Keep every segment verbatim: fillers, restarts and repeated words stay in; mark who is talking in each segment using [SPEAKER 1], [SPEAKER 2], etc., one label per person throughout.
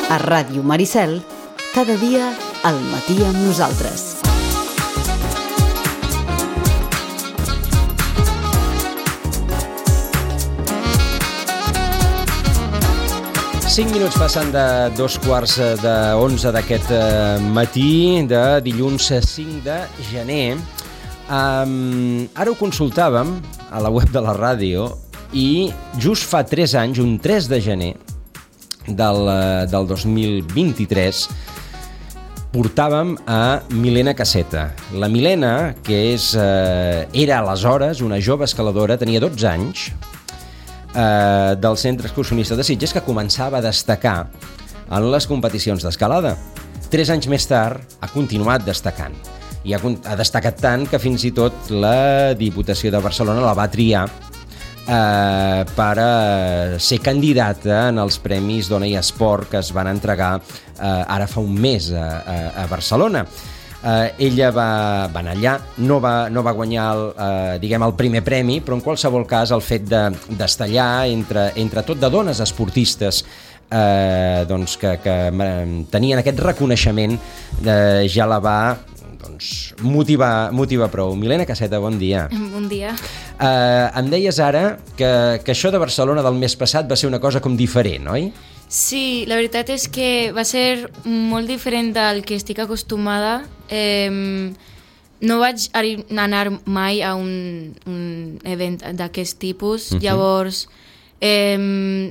[SPEAKER 1] A Ràdio Maricel, cada dia al matí amb nosaltres.
[SPEAKER 2] Cinc minuts passant de dos quarts d'onze d'aquest matí de dilluns cinc de gener. Um, ara ho consultàvem a la web de la ràdio i just fa tres anys, un tres de gener del, del dos mil vint-i-tres, portàvem a Milena Caseta. La Milena, que és, eh, era aleshores una jove escaladora, tenia dotze anys, eh, del Centre Excursionista de Sitges, que començava a destacar en les competicions d'escalada. Tres anys més tard ha continuat destacant. I ha, ha destacat tant que fins i tot la Diputació de Barcelona la va triar eh, per eh, ser candidata en els Premis Dona i Esport que es van entregar eh, ara fa un mes a, a, a Barcelona. Eh, ella va, va anar allà, no va, no va guanyar el, eh, diguem, el primer premi, però en qualsevol cas el fet de, d'estar allà entre, entre tot de dones esportistes eh, doncs que, que tenien aquest reconeixement eh, ja la va doncs, motivar, motivar prou. Milena Caseta, bon dia.
[SPEAKER 3] Bon dia.
[SPEAKER 2] Eh, em deies ara que, que això de Barcelona del mes passat va ser una cosa com diferent, oi?
[SPEAKER 3] Sí, la veritat és que va ser molt diferent del que estic acostumada. Eh, no vaig anar mai a un, un event d'aquest tipus, uh-huh. Llavors eh,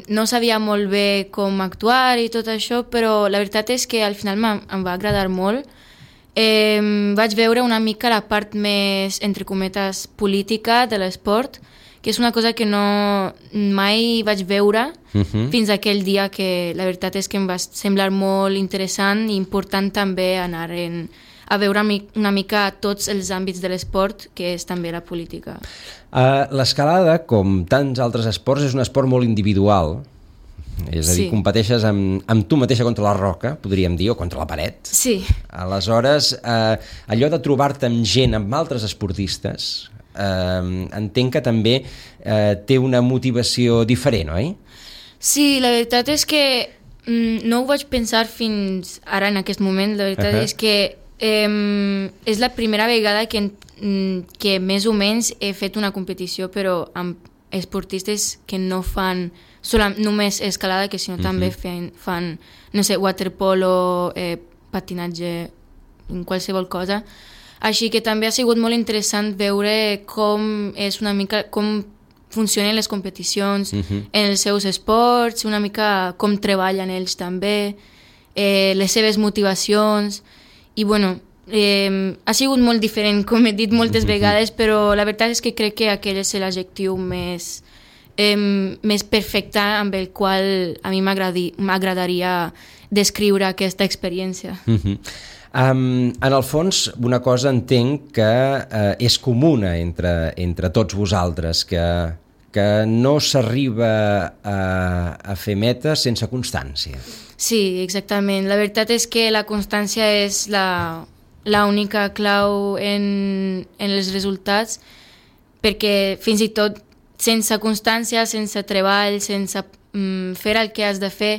[SPEAKER 3] no sabia molt bé com actuar i tot això, però la veritat és que al final em va agradar molt. Eh, vaig veure una mica la part més, entre cometes, política de l'esport, que és una cosa que no mai vaig veure uh-huh. fins a aquell dia, que la veritat és que em va semblar molt interessant i important també anar en, a veure una mica tots els àmbits de l'esport, que és també la política.
[SPEAKER 2] Uh, l'escalada, com tants altres esports, és un esport molt individual. És a dir, sí. competeixes amb, amb tu mateixa contra la roca, podríem dir, o contra la paret.
[SPEAKER 3] Sí.
[SPEAKER 2] Aleshores, eh, allò de trobar-te amb gent, amb altres esportistes, eh, entenc que també eh, té una motivació diferent, oi?
[SPEAKER 3] Sí, la veritat és que mm, no ho vaig pensar fins ara en aquest moment. La veritat uh-huh. és que eh, és la primera vegada que, que més o menys he fet una competició, però amb esportistes que no fan solam, només escalada, que sinó uh-huh. també fan, fan, no sé, waterpolo, eh, patinatge, qualsevol cosa. Així que també ha sigut molt interessant veure com és una mica, com funcionen les competicions uh-huh. en els seus esports, una mica com treballen ells també, eh, les seves motivacions, i bueno, eh, ha sigut molt diferent, com he dit moltes uh-huh. vegades, però la veritat és que crec que aquell és l'adjectiu més Eh, més perfecte amb el qual a mi m'agradaria descriure aquesta experiència.
[SPEAKER 2] Uh-huh. Um, en el fons, una cosa entenc que uh, és comuna entre, entre tots vosaltres, que, que no s'arriba a, a fer metes sense constància.
[SPEAKER 3] Sí, exactament. La veritat és que la constància és la, la única clau en, en els resultats, perquè fins i tot sense constància, sense treball, sense mm, fer el que has de fer,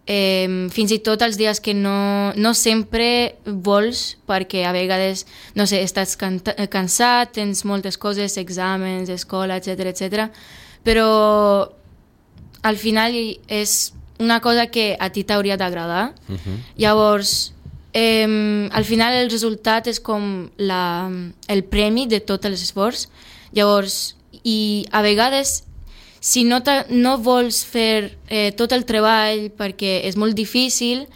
[SPEAKER 3] eh, fins i tot els dies que no, no sempre vols, perquè a vegades, no sé, estàs can- cansat, tens moltes coses, exàmens, escola, etcètera, etcètera, però al final és una cosa que a ti t'hauria d'agradar. Uh-huh. Llavors, eh, al final el resultat és com la, el premi de tot l'esforç. Llavors, i a vegades, si no, no vols fer eh, tot el treball perquè és molt difícil,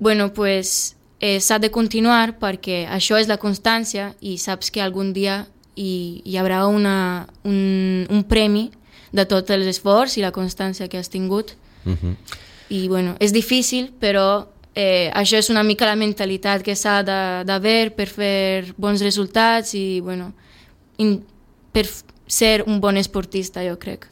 [SPEAKER 3] bueno, pues, eh, s'ha de continuar, perquè això és la constància i saps que algun dia hi, hi haurà una, un, un premi de tot l'esforç i la constància que has tingut. Uh-huh. I bueno, és difícil, però eh, això és una mica la mentalitat que s'ha d'haver per fer bons resultats i bueno, in, per ser un bon esportista, jo crec.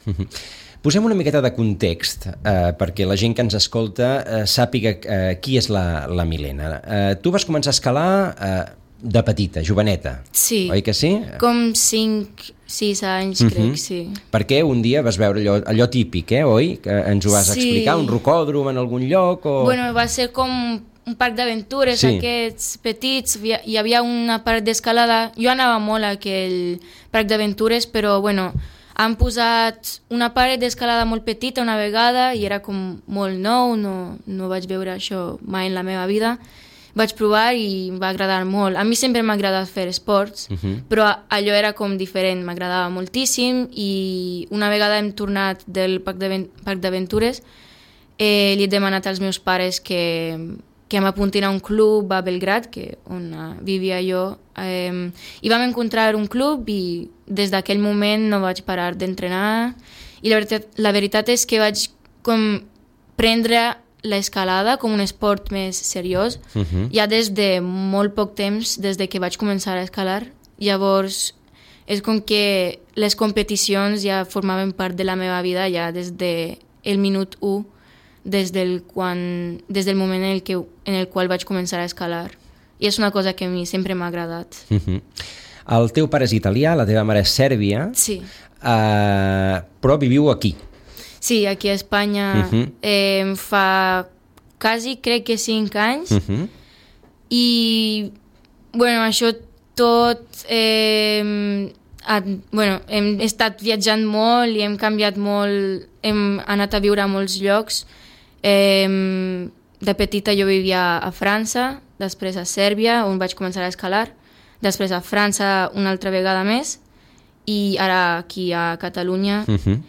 [SPEAKER 2] Posem una miqueta de context eh, perquè la gent que ens escolta eh, sàpiga eh, qui és la, la Milena. Eh, tu vas començar a escalar eh, de petita, joveneta,
[SPEAKER 3] sí.
[SPEAKER 2] oi que sí?
[SPEAKER 3] Com cinc, sis anys,
[SPEAKER 2] Mhm.
[SPEAKER 3] crec, sí.
[SPEAKER 2] Perquè un dia vas veure allò, allò típic, eh, oi? Que ens ho vas
[SPEAKER 3] Sí.
[SPEAKER 2] explicar, un rocòdrom en algun lloc o...
[SPEAKER 3] Bueno, va ser com un parc d'aventures,
[SPEAKER 2] Sí.
[SPEAKER 3] aquests petits, hi hi havia una part d'escalada, jo anava molt a aquell parc d'aventures, però bueno, han posat una paret d'escalada molt petita una vegada i era com molt nou, no, no vaig veure això mai en la meva vida. Vaig provar i em va agradar molt. A mi sempre m'ha agradat fer esports,
[SPEAKER 2] Mhm.
[SPEAKER 3] però allò era com diferent, m'agradava moltíssim i una vegada hem tornat del parc d'aven- parc d'aventures eh, li he demanat als meus pares que, que m'apuntin a un club a Belgrad, que on uh, vivia jo, eh, i vam encontrar un club i des d'aquell moment no vaig parar d'entrenar i la veritat, la veritat és que vaig com prendre l'escalada com un esport més seriós
[SPEAKER 2] Mhm.
[SPEAKER 3] ja des de molt poc temps, des de que vaig començar a escalar. Llavors és com que les competicions ja formaven part de la meva vida ja des del de minut u, des del, quan, des del moment en el, que, en el qual vaig començar a escalar. I és una cosa que a mi sempre m'ha agradat.
[SPEAKER 2] Mhm. El teu pare és italià, la teva mare és sèrbia,
[SPEAKER 3] Sí.
[SPEAKER 2] eh, però viviu aquí.
[SPEAKER 3] Sí, aquí a Espanya
[SPEAKER 2] Mhm.
[SPEAKER 3] eh, fa quasi, crec que cinc anys,
[SPEAKER 2] Mhm.
[SPEAKER 3] i bueno, això tot eh, ha, bueno, hem estat viatjant molt i hem canviat molt, hem anat a viure a molts llocs. Eh, de petita jo vivia a França, després a Sèrbia, on vaig començar a escalar, després a França una altra vegada més i ara aquí a Catalunya.
[SPEAKER 2] Mhm.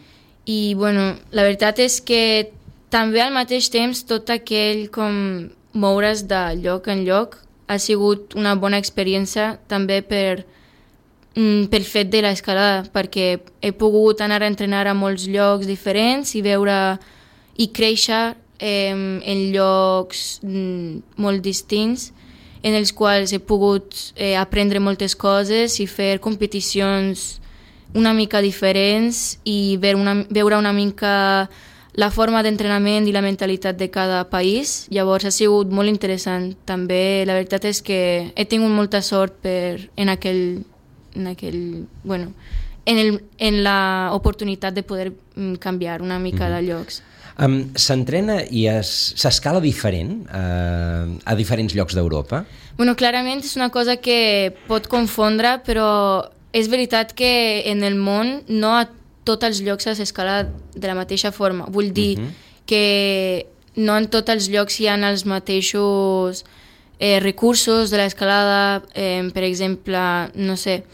[SPEAKER 3] I bueno, la veritat és que també al mateix temps tot aquell com moure's de lloc en lloc ha sigut una bona experiència també per, mm, pel fet de l'escalada, perquè he pogut anar a entrenar a molts llocs diferents i veure i créixer eh, en llocs mm, molt distints en els quals he pogut eh, aprendre moltes coses i fer competicions una mica diferents i veure una, veure una mica la forma d'entrenament i la mentalitat de cada país. Llavors ha sigut molt interessant. També la veritat és que he tingut molta sort per, en aquell, en aquell, bueno, en, el, en la oportunitat de poder mm, canviar una mica de llocs.
[SPEAKER 2] Um, S'entrena i es- s'escala diferent uh, a diferents llocs d'Europa?
[SPEAKER 3] Bueno, clarament és una cosa que pot confondre, però és veritat que en el món no a tots els llocs s'escala de la mateixa forma. Vull dir
[SPEAKER 2] Mhm.
[SPEAKER 3] que no en tots els llocs hi ha els mateixos eh, recursos de l'escalada. Eh, per exemple, no sé,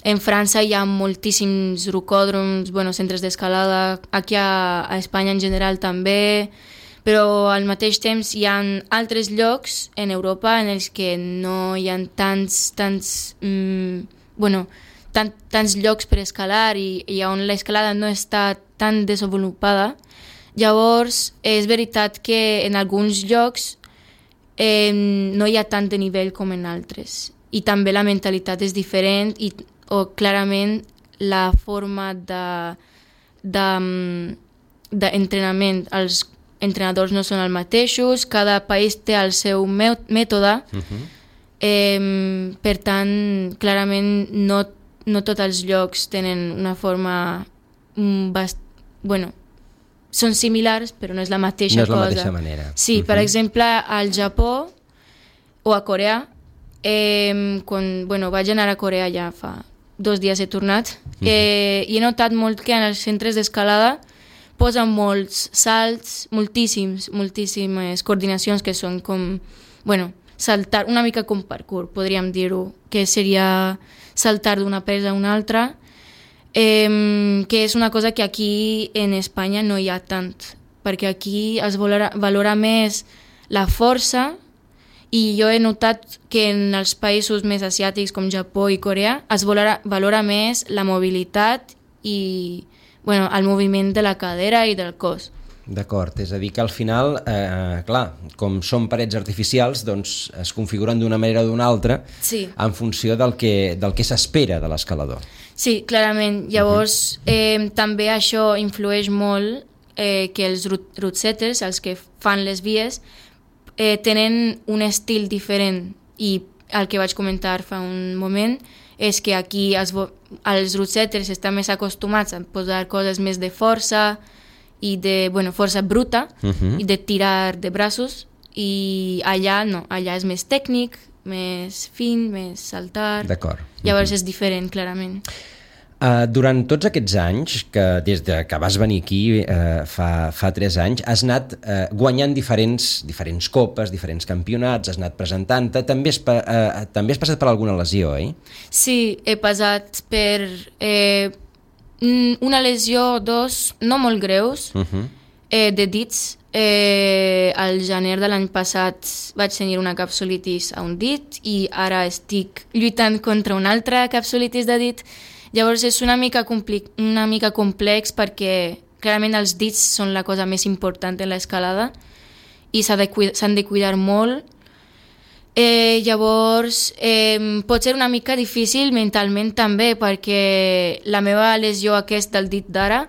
[SPEAKER 3] en França hi ha moltíssims rocòdroms, bueno, centres d'escalada, aquí a, a Espanya en general també, però al mateix temps hi ha altres llocs en Europa en els que no hi ha tants, tants, mm, bueno, tant, tants llocs per escalar i, i on l'escalada no està tan desenvolupada. Llavors, és veritat que en alguns llocs eh, no hi ha tant de nivell com en altres. I també la mentalitat és diferent i o clarament la forma de, de, d'entrenament, els entrenadors no són els mateixos, cada país té el seu mètode,
[SPEAKER 2] Mhm.
[SPEAKER 3] eh, per tant, clarament no, no tots els llocs tenen una forma mm, bast... bueno, són similars, però no és la mateixa
[SPEAKER 2] No és la
[SPEAKER 3] cosa.
[SPEAKER 2] mateixa manera.
[SPEAKER 3] Sí, per
[SPEAKER 2] Mhm.
[SPEAKER 3] exemple, al Japó o a Corea, eh, quan bueno, vaig anar a Corea ja fa dos dies he tornat, eh, i he notat molt que en els centres d'escalada posen molts salts, moltíssims, moltíssimes coordinacions que són com, bueno, saltar, una mica com parkour, podríem dir-ho, que seria saltar d'una presa a una altra, eh, que és una cosa que aquí en Espanya no hi ha tant, perquè aquí es valora, valora més la força i jo he notat que en els països més asiàtics com Japó i Corea es valora, valora més la mobilitat i bueno, el moviment de la cadera i del cos.
[SPEAKER 2] D'acord, és a dir que al final, eh, clar, com són parets artificials, doncs es configuren d'una manera o d'una altra
[SPEAKER 3] Sí.
[SPEAKER 2] en funció del que, del que s'espera de l'escalador.
[SPEAKER 3] Sí, clarament. Llavors, eh, també això influeix molt eh, que els route route setters, els que fan les vies, eh, tenen un estil diferent i el que vaig comentar fa un moment és que aquí els, els rosetters estan més acostumats a posar coses més de força i de, bueno, força bruta uh-huh. i de tirar de braços, i allà no, allà és més tècnic, més fin, més saltar.
[SPEAKER 2] D'acord.
[SPEAKER 3] Llavors
[SPEAKER 2] uh-huh.
[SPEAKER 3] és diferent, clarament.
[SPEAKER 2] Uh, durant tots aquests anys, que des de que vas venir aquí uh, fa, fa tres anys, has anat uh, guanyant diferents, diferents copes, diferents campionats, has anat presentant-te, també has, uh, també has passat per alguna lesió, eh?
[SPEAKER 3] Sí, he passat per eh, una lesió o dos, no molt greus, uh-huh. eh, de dits. Eh, al gener de l'any passat vaig tenir una capsulitis a un dit i ara estic lluitant contra una altra capsulitis de dit. Llavors és una mica, compli- una mica complex perquè clarament els dits són la cosa més important en l'escalada i s'ha de cuida- s'han de cuidar molt. Eh, llavors eh, pot ser una mica difícil mentalment també perquè la meva lesió aquesta del dit d'ara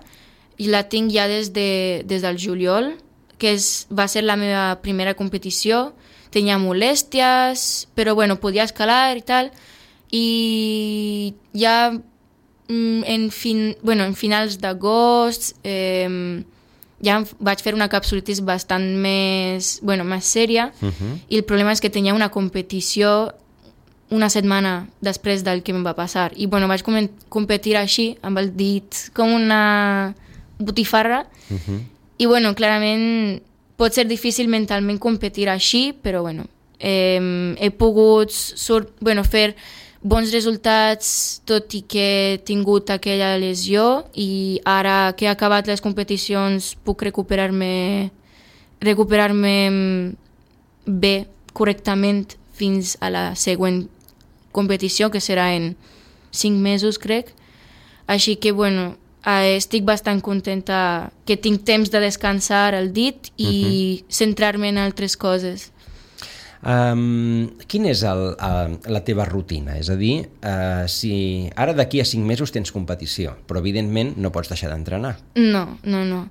[SPEAKER 3] la tinc ja des, de, des del juliol, que és, va ser la meva primera competició. Tenia molèsties, però bueno, podia escalar i tal, i ja en, fin, bueno, en finals d'agost eh, ja vaig fer una capsulitis bastant més, bueno, més sèria, uh-huh. i el problema és que tenia una competició una setmana després del que em va passar. I bueno, vaig com competir així, amb el dit com una botifarra, uh-huh. i bueno, clarament pot ser difícil mentalment competir així, però bueno, eh, he pogut sort, bueno, fer bons resultats, tot i que he tingut aquella lesió, i ara que he acabat les competicions puc recuperar-me recuperar-me bé, correctament, fins a la següent competició, que serà en cinc mesos, crec. Així que, bueno, estic bastant contenta que tinc temps de descansar el dit i uh-huh. centrar-me en altres coses.
[SPEAKER 2] Um, quina és el, uh, la teva rutina? És a dir, uh, si ara d'aquí a cinc mesos tens competició, però evidentment no pots deixar d'entrenar.
[SPEAKER 3] No, no, no.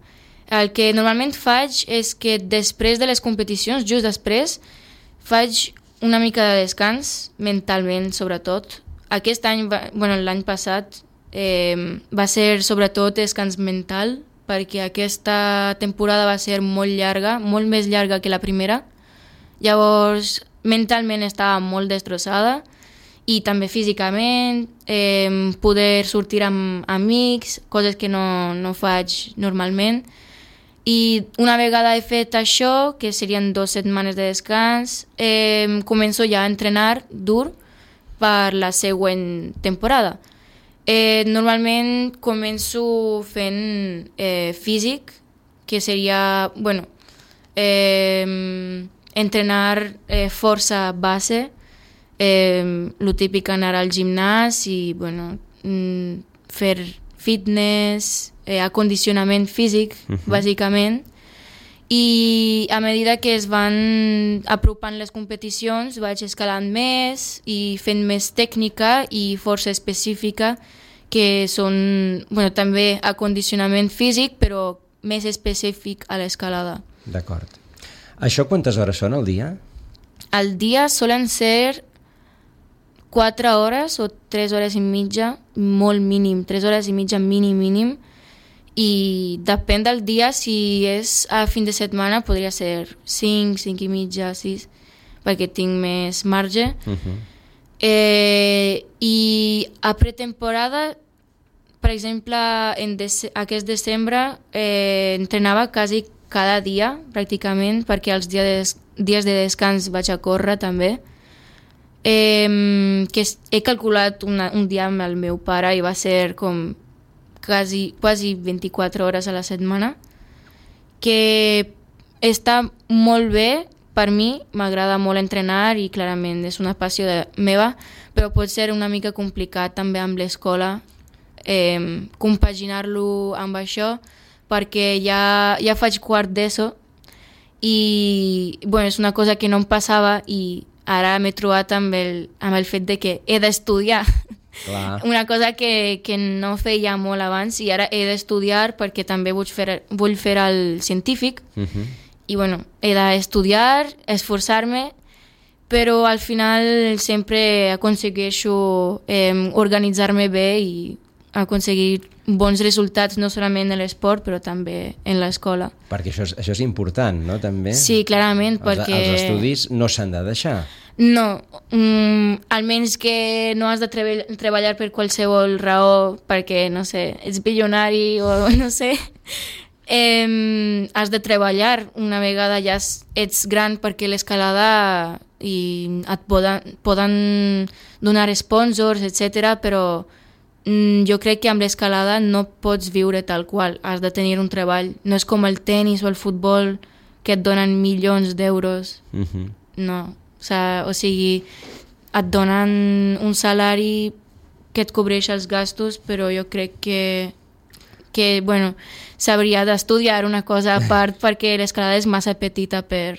[SPEAKER 3] El que normalment faig és que després de les competicions, just després, faig una mica de descans, mentalment sobretot. Aquest any, va, bueno, l'any passat, eh, va ser sobretot descans mental, perquè aquesta temporada va ser molt llarga, molt més llarga que la primera. Llavors, mentalment estava molt destrossada i també físicament, eh, poder sortir amb amics, coses que no, no faig normalment. I una vegada he fet això, que serien dues setmanes de descans, eh, començo ja a entrenar dur per la següent temporada. Eh, normalment començo fent eh, físic, que seria, bueno, eh, entrenar eh, força base, eh, lo típic anar al gimnàs i bueno, mm, fer fitness, eh, acondicionament físic, uh-huh. bàsicament. I a medida que es van apropant les competicions vaig escalant més i fent més tècnica i força específica, que són, bueno, també acondicionament físic, però més específic a l'escalada.
[SPEAKER 2] D'acord. Això quantes hores són al dia?
[SPEAKER 3] Al dia solen ser quatre hores o tres hores i mitja, molt mínim, tres hores i mitja mínim, mínim, i depèn del dia, si és a fin de setmana podria ser cinc, cinc i mitja, sis, perquè tinc més marge. Uh-huh. Eh, I a pretemporada, per exemple, en des- aquest desembre eh, entrenava quasi cada dia, pràcticament, perquè els dies, dies de descans vaig a córrer també. Eh, que he calculat una, un dia amb el meu pare i va ser com quasi, quasi vint-i-quatre hores a la setmana, que està molt bé per mi, m'agrada molt entrenar i clarament és una passió de, meva, però pot ser una mica complicat també amb l'escola, eh, compaginar-lo amb això, perquè ja, ja faig quart d'ESO i bueno, és una cosa que no em passava i ara m'he trobat amb el, amb el fet de que he d'estudiar. Clar. Una cosa que, que no feia molt abans i ara he d'estudiar perquè també vull fer, vull fer el científic. Uh-huh. I bueno, he d'estudiar, esforçar-me, però al final sempre aconsegueixo eh, organitzar-me bé i aconseguir bons resultats no solament en l'esport però també en l'escola.
[SPEAKER 2] Perquè això és, això és important, no? També?
[SPEAKER 3] Sí, clarament,
[SPEAKER 2] els,
[SPEAKER 3] perquè...
[SPEAKER 2] Els estudis no s'han de deixar.
[SPEAKER 3] No, mm, almenys que no has de treball treballar per qualsevol raó perquè, no sé, ets bilionari o no sé, eh, has de treballar una vegada ja ets gran perquè l'escalada i et poden, poden donar sponsors, etcètera, però mm, jo crec que amb l'escalada no pots viure tal qual, has de tenir un treball. No és com el tennis o el futbol que et donen milions d'euros. Uh-huh. No, o, sea, o sigui, et donen un salari que et cobreix els gastos, però jo crec que, que bueno, s'hauria d'estudiar una cosa a part perquè l'escalada és massa petita per...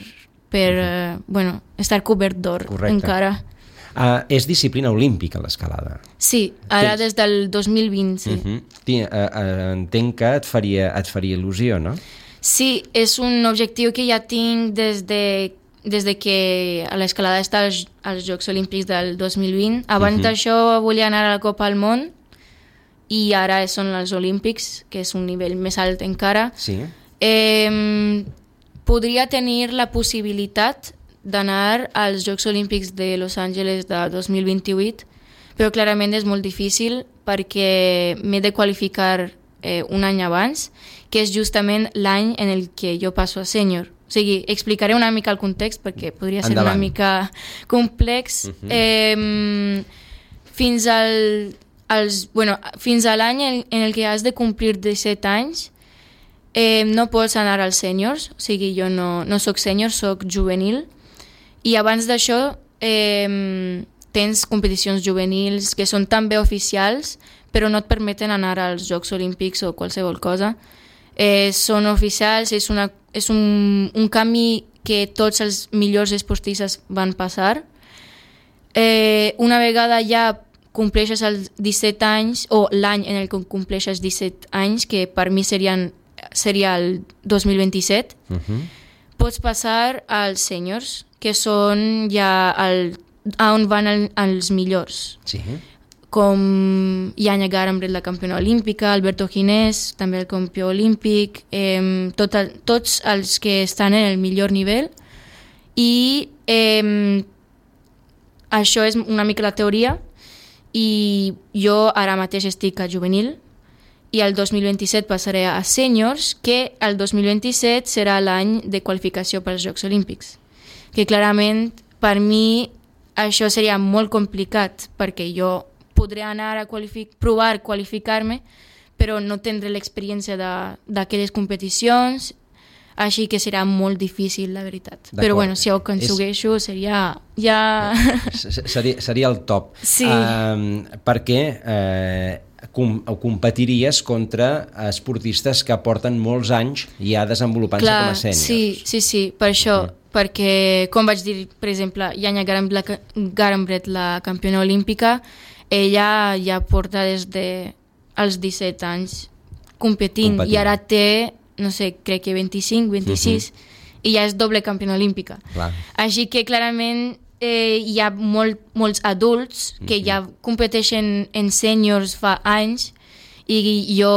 [SPEAKER 3] per uh, bueno, estar cobert d'or encara.
[SPEAKER 2] Uh, és disciplina olímpica l'escalada.
[SPEAKER 3] Sí, ara Tens... des del dos mil vint, sí. Uh-huh.
[SPEAKER 2] Tien, uh, uh, entenc que et faria, et faria il·lusió, no?
[SPEAKER 3] Sí, és un objectiu que ja tinc des de, des de que l'escalada està als, als Jocs Olímpics del dos mil vint. Abans uh-huh. d'això volia anar a la Copa del Món i ara són els Olímpics, que és un nivell més alt encara.
[SPEAKER 2] Sí.
[SPEAKER 3] Eh, podria tenir la possibilitat d'anar als Jocs Olímpics de Los Angeles de dos mil vint-i-vuit, però clarament és molt difícil perquè m'he de qualificar eh, un any abans, que és justament l'any en el que jo passo a sènior. O sigui, explicaré una mica el context perquè podria ser
[SPEAKER 2] Endavant.
[SPEAKER 3] Una mica complex. Uh-huh. eh, fins al, als, bueno, fins a l'any en, en el que has de complir disset anys, Eh, no pots anar als sèniors, o sigui, jo no, no soc sènior, soc juvenil, i abans d'això eh, tens competicions juvenils que són també oficials, però no et permeten anar als Jocs Olímpics o qualsevol cosa. Eh, són oficials, és, una, és un, un camí que tots els millors esportistes van passar. Eh, una vegada ja compleixes els disset anys, o l'any en el que compleixes disset anys, que per mi serien seria el dos mil vint-i-set, uh-huh. pots passar als sèniors, que són ja el, on van el, els millors.
[SPEAKER 2] Sí.
[SPEAKER 3] Com Janja Garambret, la campiona olímpica, Alberto Ginés, també el campió olímpic, eh, tot el, tots els que estan en el millor nivell. I eh, això és una mica la teoria, i jo ara mateix estic a juvenil, i el dos mil vint-i-set passaré a sèniors, que el dos mil vint-i-set serà l'any de qualificació pels Jocs Olímpics. Que clarament, per mi, això seria molt complicat, perquè jo podré anar a qualific- provar qualificar-me, però no tindré l'experiència d'aquelles competicions, així que serà molt difícil, la veritat. Però bueno, si ho aconsegueixo, és... seria ja...
[SPEAKER 2] seria, seria el top.
[SPEAKER 3] Sí.
[SPEAKER 2] Um, perquè... Uh... Com, competiries contra esportistes que porten molts anys ja desenvolupant-se com a sèniors.
[SPEAKER 3] Sí, sí, sí, per això, uh-huh. perquè, com vaig dir, per exemple, Janja Garambret, la campiona olímpica, ella ja porta des dels disset anys competint, competint, i ara té, no sé, crec que vint-i-cinc, vint-i-sis, uh-huh. i ja és doble campiona olímpica. Clar. Així que, clarament, Eh, hi ha molt, molts adults que mm-hmm. ja competeixen en sèniors fa anys i jo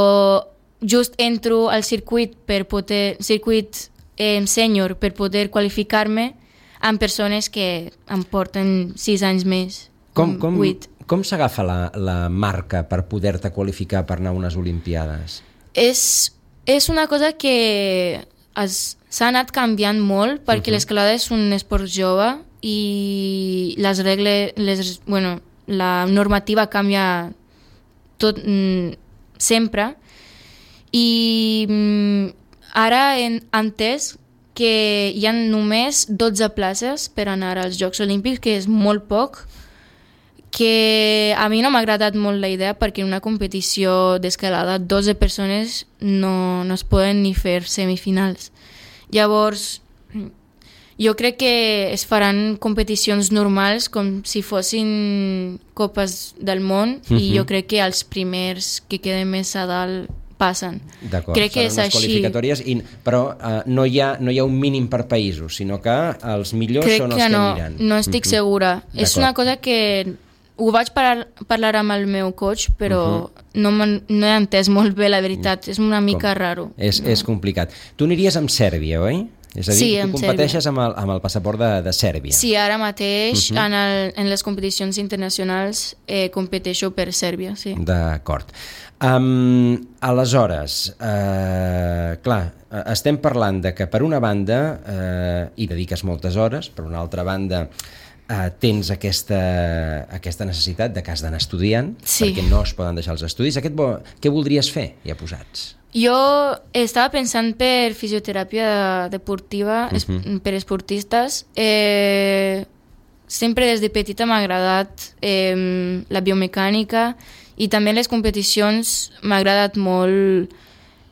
[SPEAKER 3] just entro al circuit per poder circuit eh, sènior per poder qualificar-me amb persones que em porten sis anys més.
[SPEAKER 2] Com, com, com s'agafa la, la marca per poder-te qualificar per anar a unes Olimpiades?
[SPEAKER 3] És, és una cosa que s'ha anat canviant molt perquè uh-huh. l'escalada és un esport jove i les regles, les, bueno, la normativa canvia tot, mm, sempre i mm, ara he entès que hi ha només dotze places per anar als Jocs Olímpics, que és molt poc, que a mi no m'ha agradat molt la idea perquè en una competició d'escalada dotze persones no, no es poden ni fer semifinals. Llavors, jo crec que es faran competicions normals com si fossin copes del món uh-huh. i jo crec que els primers que queden més a dalt passen.
[SPEAKER 2] D'acord,
[SPEAKER 3] crec que
[SPEAKER 2] seran
[SPEAKER 3] és
[SPEAKER 2] unes
[SPEAKER 3] així.
[SPEAKER 2] qualificatòries, i, però uh, no, hi ha, no hi ha un mínim per països, sinó que els millors
[SPEAKER 3] crec
[SPEAKER 2] són els
[SPEAKER 3] que,
[SPEAKER 2] que
[SPEAKER 3] no,
[SPEAKER 2] aniran.
[SPEAKER 3] no estic
[SPEAKER 2] Mhm.
[SPEAKER 3] segura. És una cosa que ho vaig parlar, parlar amb el meu coach, però uh-huh. no, no he entès molt bé, la veritat. És una mica
[SPEAKER 2] Com?
[SPEAKER 3] raro.
[SPEAKER 2] És,
[SPEAKER 3] no.
[SPEAKER 2] és complicat. Tu aniries amb Sèrbia, oi? És a dir,
[SPEAKER 3] Sí,
[SPEAKER 2] tu
[SPEAKER 3] amb
[SPEAKER 2] competeixes amb el, amb el passaport de, de Sèrbia.
[SPEAKER 3] Sí, ara mateix
[SPEAKER 2] Uh-huh.
[SPEAKER 3] en, el, en les competicions internacionals eh, competeixo per Sèrbia, sí.
[SPEAKER 2] D'acord. Um, aleshores, uh, clar, estem parlant de que per una banda uh, hi dediques moltes hores, per una altra banda uh, tens aquesta, aquesta necessitat de que has d'anar estudiant,
[SPEAKER 3] Sí.
[SPEAKER 2] perquè no es poden deixar els estudis. Aquest bo, què voldries fer, ja posats?
[SPEAKER 3] Jo estava pensant per fisioteràpia deportiva, es,
[SPEAKER 2] Mhm.
[SPEAKER 3] per esportistes. Eh, sempre des de petita m'ha agradat eh, la biomecànica i també les competicions m'ha agradat molt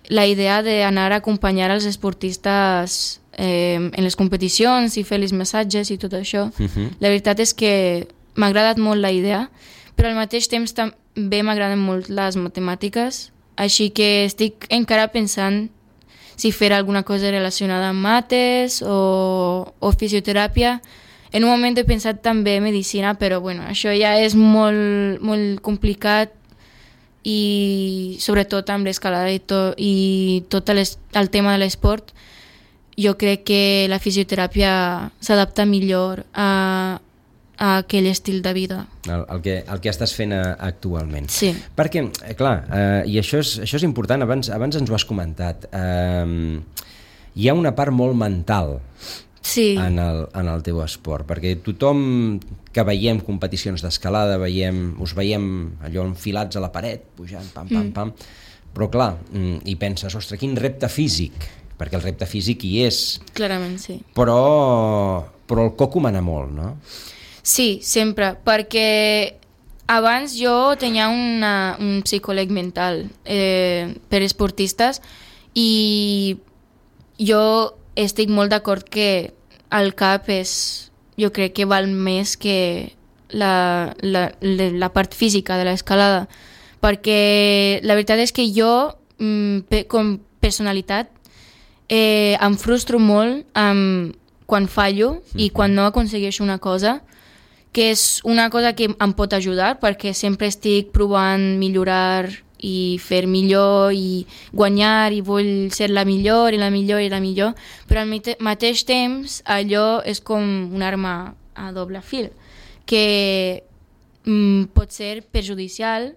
[SPEAKER 3] la idea d'anar a acompanyar els esportistes eh, en les competicions i fer els massatges i tot això.
[SPEAKER 2] Mhm.
[SPEAKER 3] La veritat és que m'ha agradat molt la idea, però al mateix temps també m'agraden molt les matemàtiques, així que estic encara pensant si fer alguna cosa relacionada amb mates o, o fisioteràpia. En un moment he pensat també medicina, però bueno, això ja és molt, molt complicat i sobretot amb l'escalada i, to, i tot les, el tema de l'esport. Jo crec que la fisioteràpia s'adapta millor a, a aquell estil de vida.
[SPEAKER 2] El, el, que, el que estàs fent a, actualment.
[SPEAKER 3] Sí.
[SPEAKER 2] Perquè, eh, clar, eh, i això és, això és important, abans, abans ens ho has comentat, eh, hi ha una part molt mental
[SPEAKER 3] Sí.
[SPEAKER 2] en el, en el teu esport, perquè tothom que veiem competicions d'escalada, veiem, us veiem allò enfilats a la paret, pujant, pam, pam,
[SPEAKER 3] Mm.
[SPEAKER 2] pam, però clar, mm, i penses, ostres, quin repte físic, perquè el repte físic hi és,
[SPEAKER 3] Clarament, sí.
[SPEAKER 2] però, però el coco mana molt, no?
[SPEAKER 3] Sí, sempre, perquè abans jo tenia una, un psicòleg mental eh, per esportistes i jo estic molt d'acord que el cap és, jo crec que val més que la, la, la, la part física de l'escalada, perquè la veritat és que jo, mm, pe, com personalitat, eh, em frustro molt amb, quan fallo i quan no aconsegueixo una cosa, que és una cosa que em pot ajudar perquè sempre estic provant millorar i fer millor i guanyar i vull ser la millor i la millor i la millor, però al mateix temps allò és com una arma a doble fil, que mm, pot ser perjudicial,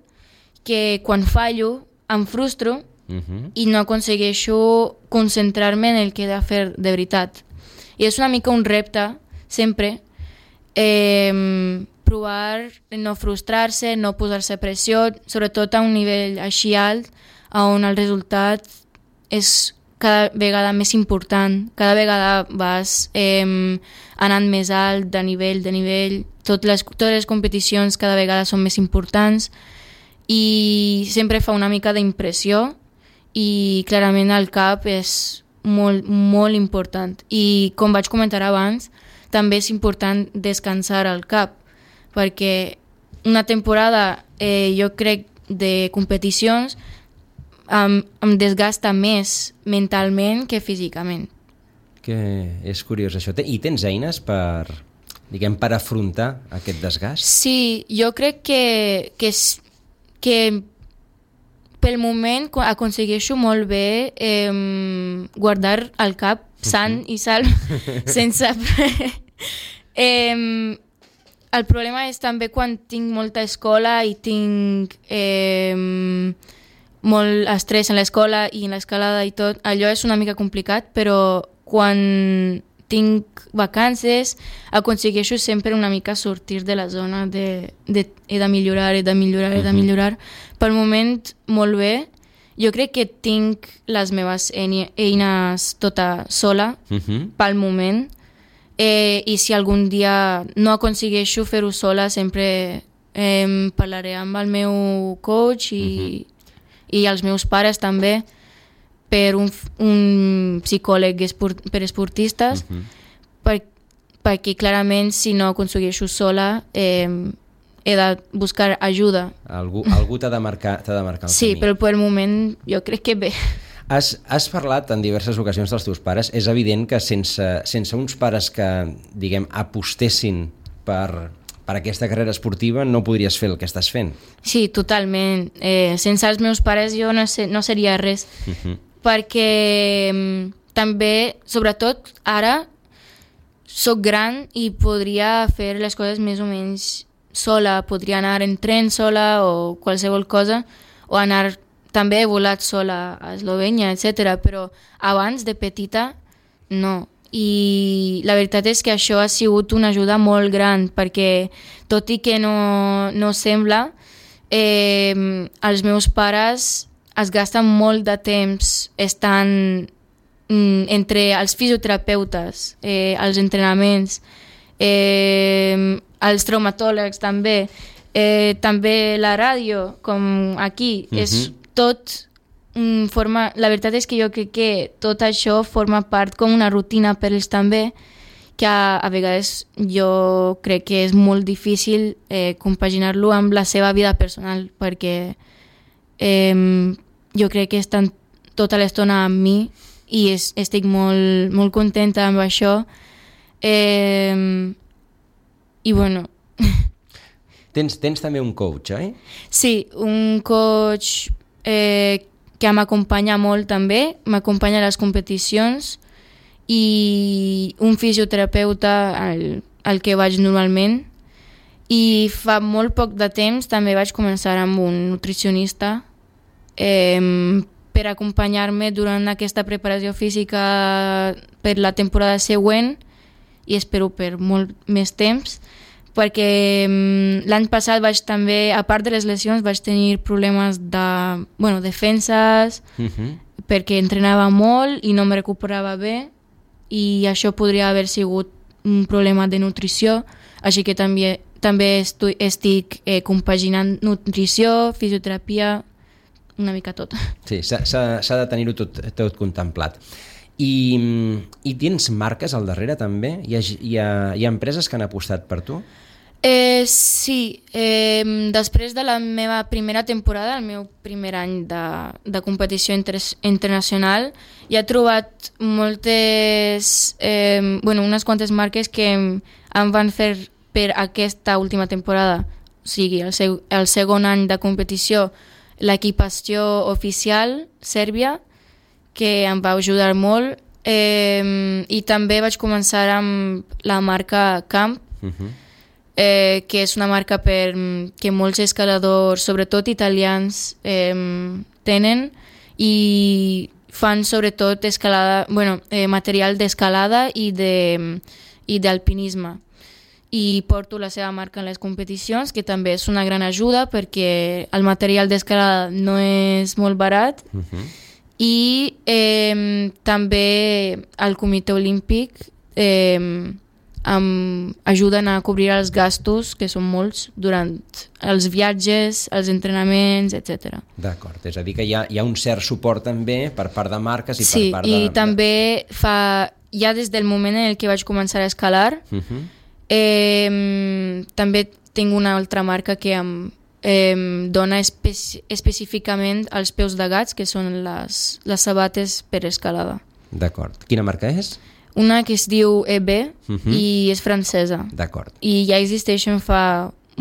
[SPEAKER 3] que quan fallo em frustro
[SPEAKER 2] Uh-huh.
[SPEAKER 3] i no aconsegueixo concentrar-me en el que he de fer de veritat. I és una mica un repte, sempre, eh, provar no frustrar-se, no posar-se pressió, sobretot a un nivell així alt, on el resultat és cada vegada més important, cada vegada vas eh, anant més alt, de nivell, de nivell, tot les, totes les competicions cada vegada són més importants i sempre fa una mica d'impressió i clarament el cap és molt, molt important. I com vaig comentar abans, també és important descansar el cap, perquè una temporada, eh, jo crec, de competicions em, em desgasta més mentalment que físicament.
[SPEAKER 2] Que és curiós això. I tens eines per, diguem, per afrontar aquest desgast?
[SPEAKER 3] Sí, jo crec que, que, que pel moment aconsegueixo molt bé eh, guardar el cap sant i salv sense... eh, el problema és també quan tinc molta escola i tinc eh, molt estrès en l'escola i en l'escalada i tot, allò és una mica complicat, però quan tinc vacances aconsegueixo sempre una mica sortir de la zona de, de he de millorar, he de millorar, he de millorar. Pel moment, molt bé. Jo crec que tinc les meves eines tota sola,
[SPEAKER 2] Uh-huh.
[SPEAKER 3] pel moment, eh, i si algun dia no aconsegueixo fer-ho sola, sempre eh, parlaré amb el meu coach i, uh-huh. i els meus pares també, per un, un psicòleg esport, per esportistes, uh-huh. per, perquè clarament si no aconsegueixo sola eh, he de buscar ajuda.
[SPEAKER 2] Algú, algú t'ha de marcar, t'ha de marcar el
[SPEAKER 3] sí,
[SPEAKER 2] camí.
[SPEAKER 3] però pel moment jo crec que bé.
[SPEAKER 2] Has, has parlat en diverses ocasions dels teus pares. És evident que sense, sense uns pares que, diguem, apostessin per, per aquesta carrera esportiva no podries fer el que estàs fent.
[SPEAKER 3] Sí, totalment. Eh, sense els meus pares jo no, sé, no seria res. Uh-huh. Perquè mm, també, sobretot ara, soc gran i podria fer les coses més o menys sola. Podria anar en tren sola o qualsevol cosa, o anar també he volat sola a Eslovènia, etcètera. Però abans, de petita, no. I la veritat és que això ha sigut una ajuda molt gran, perquè tot i que no, no sembla, eh, els meus pares es gasten molt de temps estant mm, entre els fisioterapeutes, eh, els entrenaments, eh, els traumatòlegs també, eh, també la ràdio, com aquí, uh-huh. és tot mm, forma... La veritat és que jo crec que tot això forma part com una rutina per ells també, que a, a vegades jo crec que és molt difícil eh, compaginar-lo amb la seva vida personal, perquè eh, jo crec que estan tota l'estona amb mi i es, estic molt, molt contenta amb això. Eh, I bueno...
[SPEAKER 2] Tens, tens també un coach, oi?
[SPEAKER 3] Sí, un coach eh, que m'acompanya molt també, m'acompanya a les competicions, i un fisioterapeuta al, al que vaig normalment, i fa molt poc de temps també vaig començar amb un nutricionista eh, per acompanyar-me durant aquesta preparació física per la temporada següent, i espero per molt més temps, perquè um, l'any passat vaig també, a part de les lesions, vaig tenir problemes de, bueno, defenses, uh-huh. perquè entrenava molt i no me recuperava bé, i això podria haver sigut un problema de nutrició, així que també, també estu, estic eh, compaginant nutrició, fisioterapia, una mica tot.
[SPEAKER 2] Sí, s'ha, s'ha de tenir-ho tot, tot contemplat. I, I tens marques al darrere també? Hi ha, hi ha, hi ha empreses que han apostat per tu?
[SPEAKER 3] Eh, sí, eh, després de la meva primera temporada, el meu primer any de, de competició inter internacional, ja he trobat moltes, eh, bueno, unes quantes marques que em van fer per aquesta última temporada, o sigui, el, seg el segon any de competició, l'equipació oficial Sèrbia, que em va ajudar molt, eh, i també vaig començar amb la marca Camp, uh-huh. eh, que és una marca per, que molts escaladors, sobretot italians, eh, tenen, i fan sobretot escalada, bueno, eh, material d'escalada i de, i d'alpinisme. I porto la seva marca en les competicions, que també és una gran ajuda perquè el material d'escalada no és molt barat. Uh-huh. I eh, també el Comitè Olímpic eh, em ajuden a cobrir els gastos, que són molts, durant els viatges, els entrenaments, etcètera.
[SPEAKER 2] D'acord, és a dir que hi ha, hi ha un cert suport també per part de marques i
[SPEAKER 3] sí,
[SPEAKER 2] per part de...
[SPEAKER 3] Sí, i també fa, ja des del moment en què vaig començar a escalar, uh-huh. eh, també tinc una altra marca que em Eh, dona espe específicament els peus de gats, que són les, les sabates per escalada.
[SPEAKER 2] D'acord. Quina marca és?
[SPEAKER 3] Una que es diu E B uh-huh. i és francesa.
[SPEAKER 2] D'acord.
[SPEAKER 3] I ja existeixen fa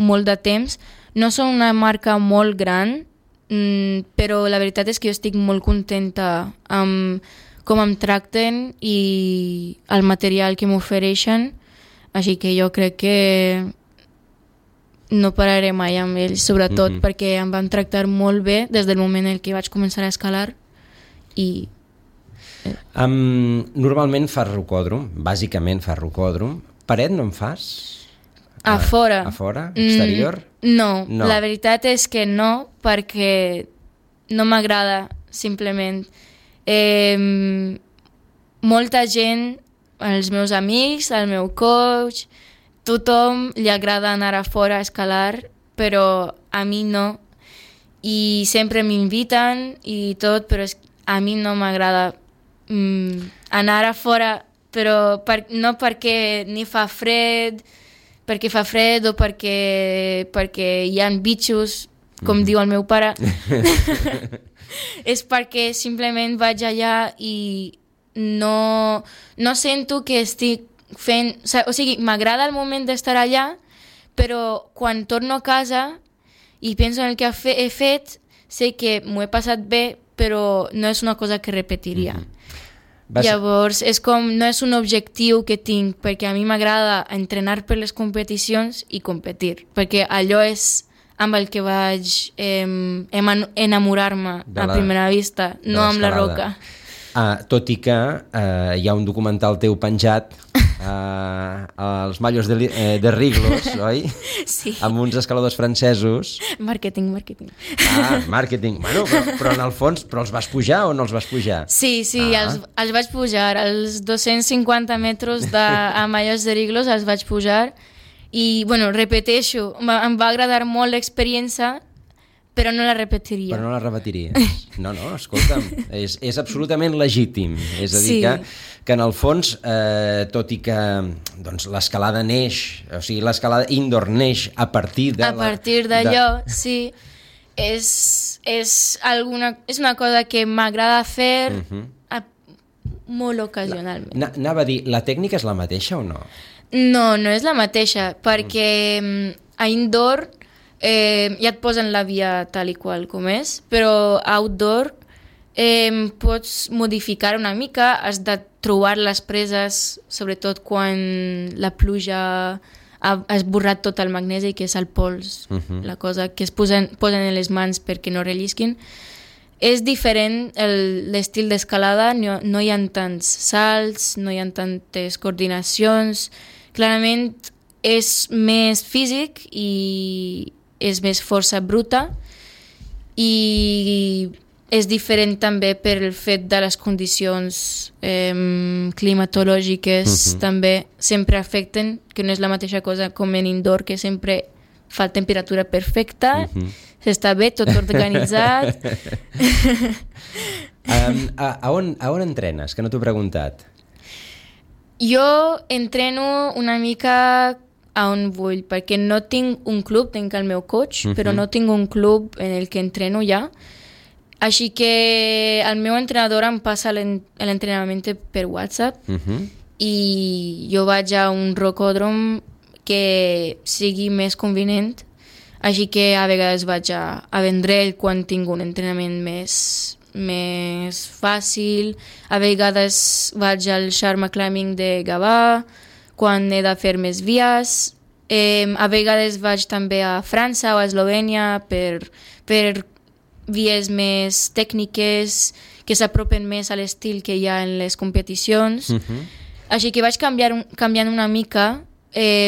[SPEAKER 3] molt de temps. No són una marca molt gran, mm, però la veritat és que jo estic molt contenta amb com em tracten i el material que m'ofereixen, així que jo crec que no pararé mai amb ells, sobretot mm-hmm. perquè em van tractar molt bé des del moment en què vaig començar a escalar. I...
[SPEAKER 2] Eh. Um, normalment fas rocòdrom, bàsicament fas rocòdrom. Paret no en fas?
[SPEAKER 3] A fora.
[SPEAKER 2] A fora? Exterior?
[SPEAKER 3] Mm, no. no, la veritat és que no, perquè no m'agrada, simplement. Eh, molta gent, els meus amics, el meu coach... Tothom li agrada anar a fora a escalar, però a mi no. I sempre m'inviten i tot, però és, a mi no m'agrada mm, anar a fora, però per, no perquè ni fa fred, perquè fa fred o perquè, perquè hi ha bitxos, com mm. diu el meu pare. És perquè simplement vaig allà i no, no sento que estic fent... O sigui, m'agrada el moment d'estar allà, però quan torno a casa i penso en el que he fet, sé que m'ho he passat bé, però no és una cosa que repetiria. Mm-hmm. Vas... Llavors, és com, no és un objectiu que tinc, perquè a mi m'agrada entrenar per les competicions i competir, perquè allò és amb el que vaig eh, enamorar-me a primera vista, no amb la roca.
[SPEAKER 2] Uh, tot i que uh, hi ha un documental teu penjat uh, als Mallos de, eh, de Riglos, oi?
[SPEAKER 3] Sí.
[SPEAKER 2] Amb uns escaladors francesos.
[SPEAKER 3] Marketing, marketing.
[SPEAKER 2] Ah, marketing. Bueno, però, però en el fons, però els vas pujar o no els vas pujar?
[SPEAKER 3] Sí, sí, ah. els, els vaig pujar. Els dos-cents cinquanta metres de, a Mallos de Riglos els vaig pujar i, bueno, repeteixo, em va agradar molt l'experiència, però no la repetiria.
[SPEAKER 2] Però no la repetiries. No, no, escolta'm, és, és absolutament legítim. És a dir, sí. que, que en el fons, eh, tot i que doncs, l'escalada neix, o sigui, l'escalada indoor neix a partir de...
[SPEAKER 3] A partir d'allò, de... sí. És, és, alguna, és una cosa que m'agrada fer uh-huh. a, molt ocasionalment.
[SPEAKER 2] La, anava a dir, la tècnica és la mateixa o no?
[SPEAKER 3] No, no és la mateixa, perquè uh-huh. a indoor... Eh, ja et posen la via tal i qual com és, però outdoor eh, pots modificar una mica, has de trobar les preses, sobretot quan la pluja ha esborrat tot el magnesi, que és el pols, uh-huh. la cosa que es posen, posen en les mans perquè no rellisquin. És diferent el, l'estil d'escalada, no, no hi ha tants salts, no hi ha tantes coordinacions, clarament és més físic i és més força bruta i és diferent també per el fet de les condicions eh, climatològiques uh-huh. també sempre afecten, que no és la mateixa cosa com en indoor, que sempre fa temperatura perfecta, uh-huh. s'està bé, tot organitzat.
[SPEAKER 2] um, a, a, on, a on entrenes? Que no t'ho he preguntat.
[SPEAKER 3] Jo entreno una mica a on vull, perquè no tinc un club, tinc el meu coach, uh-huh. però no tinc un club en el que entreno ja. Així que el meu entrenador em passa l'entrenament per WhatsApp uh-huh. i jo vaig a un rocòdrom que sigui més convenient, així que a vegades vaig a, a Vendrell quan tinc un entrenament més, més fàcil, a vegades vaig al Sharma Climbing de Gavà, quan he de fer més vies. Eh, a vegades vaig també a França o a Eslovènia per, per vies més tècniques que s'apropen més a l'estil que hi ha en les competicions. Uh-huh. Així que vaig canviar, canviant una mica eh,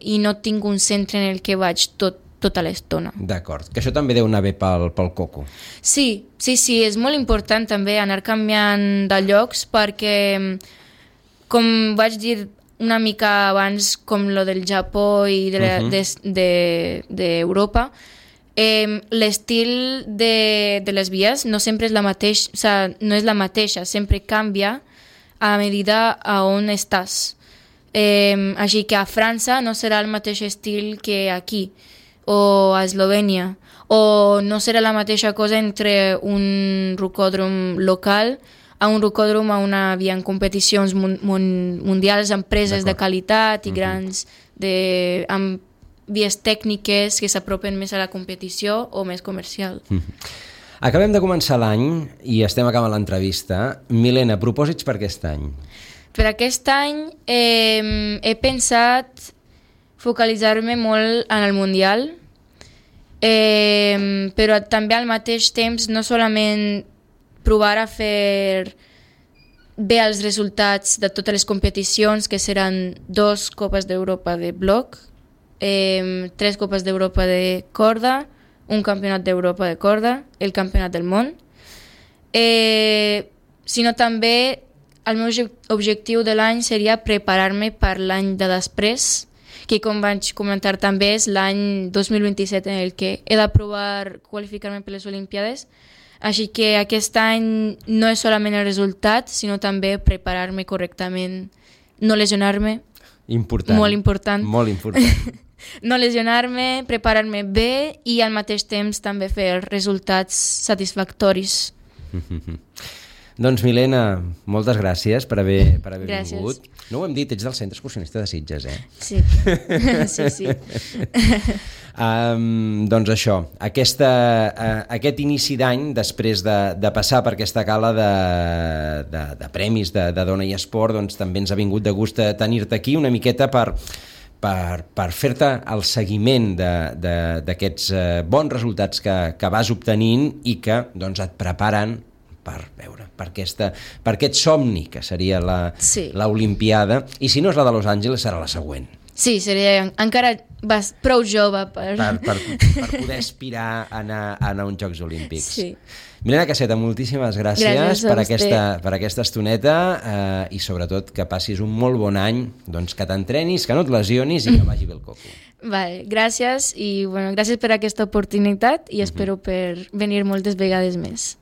[SPEAKER 3] i no tinc un centre en el que vaig tot, tota l'estona.
[SPEAKER 2] D'acord, que això també deu anar bé pel, pel coco.
[SPEAKER 3] Sí, sí, sí, és molt important també anar canviant de llocs perquè, com vaig dir una mica abans, com lo del Japó i de la, uh-huh. de, de, d'Europa, eh, l'estil de, de les vies no sempre és la mateixa, o sea, no és la mateixa, sempre canvia a medida a on estàs. Eh, així que a França no serà el mateix estil que aquí, o a Eslovènia, o no serà la mateixa cosa entre un rocòdrom local a un rocòdrom, a una via en competicions mun, mun, mundials, empreses D'acord. de qualitat i uh-huh. grans, de, amb vies tècniques que s'apropen més a la competició o més comercial.
[SPEAKER 2] Uh-huh. Acabem de començar l'any i estem acabant l'entrevista. Milena, propòsits per aquest any?
[SPEAKER 3] Per aquest any eh, he pensat focalitzar-me molt en el Mundial, eh, però també al mateix temps no solament provar a fer bé els resultats de totes les competicions, que seran dos Copes d'Europa de bloc, eh, tres Copes d'Europa de corda, un Campionat d'Europa de corda, el Campionat del món, eh, sinó també el meu objectiu de l'any seria preparar-me per l'any de després, que com vaig comentar també és l'any dos mil vint-i-set en el que he de provar qualificar-me per les Olimpiades. Així que aquest any no és solament el resultat, sinó també preparar-me correctament, no lesionar-me
[SPEAKER 2] Important.
[SPEAKER 3] molt important.
[SPEAKER 2] Molt important.
[SPEAKER 3] No lesionar-me, preparar-me bé i al mateix temps també fer resultats satisfactoris.
[SPEAKER 2] Doncs Milena, moltes gràcies per haver, per haver
[SPEAKER 3] gràcies.
[SPEAKER 2] vingut. No ho hem dit, ets del Centre Excursionista de Sitges, eh?
[SPEAKER 3] Sí, sí, sí.
[SPEAKER 2] Um, doncs això, aquesta, uh, aquest inici d'any, després de, de passar per aquesta gala de, de, de premis de, de Dona i Esport, doncs també ens ha vingut de gust tenir-te aquí una miqueta per, per, per fer-te el seguiment d'aquests uh, bons resultats que, que vas obtenint i que doncs, et preparen per veure, per, aquesta, per aquest somni que seria l'Olimpiada, sí. I si no és la de Los Angeles serà la següent.
[SPEAKER 3] Sí, seria encara vas prou jove per...
[SPEAKER 2] Per, per, per poder aspirar a anar, a anar a uns Jocs Olímpics.
[SPEAKER 3] Sí.
[SPEAKER 2] Milena Caseta, moltíssimes gràcies,
[SPEAKER 3] gràcies
[SPEAKER 2] per, aquesta, per aquesta estoneta eh, i sobretot que passis un molt bon any, doncs que t'entrenis, que no et lesionis i que vagi bé el coco.
[SPEAKER 3] Vale, gràcies i bueno, gràcies per aquesta oportunitat i espero per venir moltes vegades més.